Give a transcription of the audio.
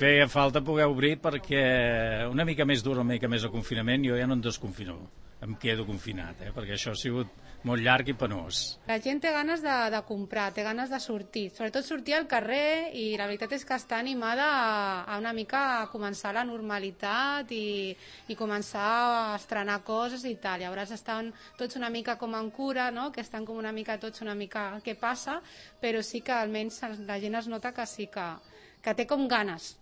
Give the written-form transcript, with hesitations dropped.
feia falta poder obrir perquè una mica més dur, una mica més de confinament, jo ja no em desconfino, em quedo confinat, perquè això ha sigut molt llarg i penós. La gent té ganes de comprar, té ganes de sortir, sobretot sortir al carrer, i la veritat és que està animada a una mica a començar la normalitat i començar a estrenar coses i tal. Llavors estan tots una mica com en cura, no? Que estan com una mica tots una mica què passa, però sí que almenys la gent es nota que sí que té com ganes.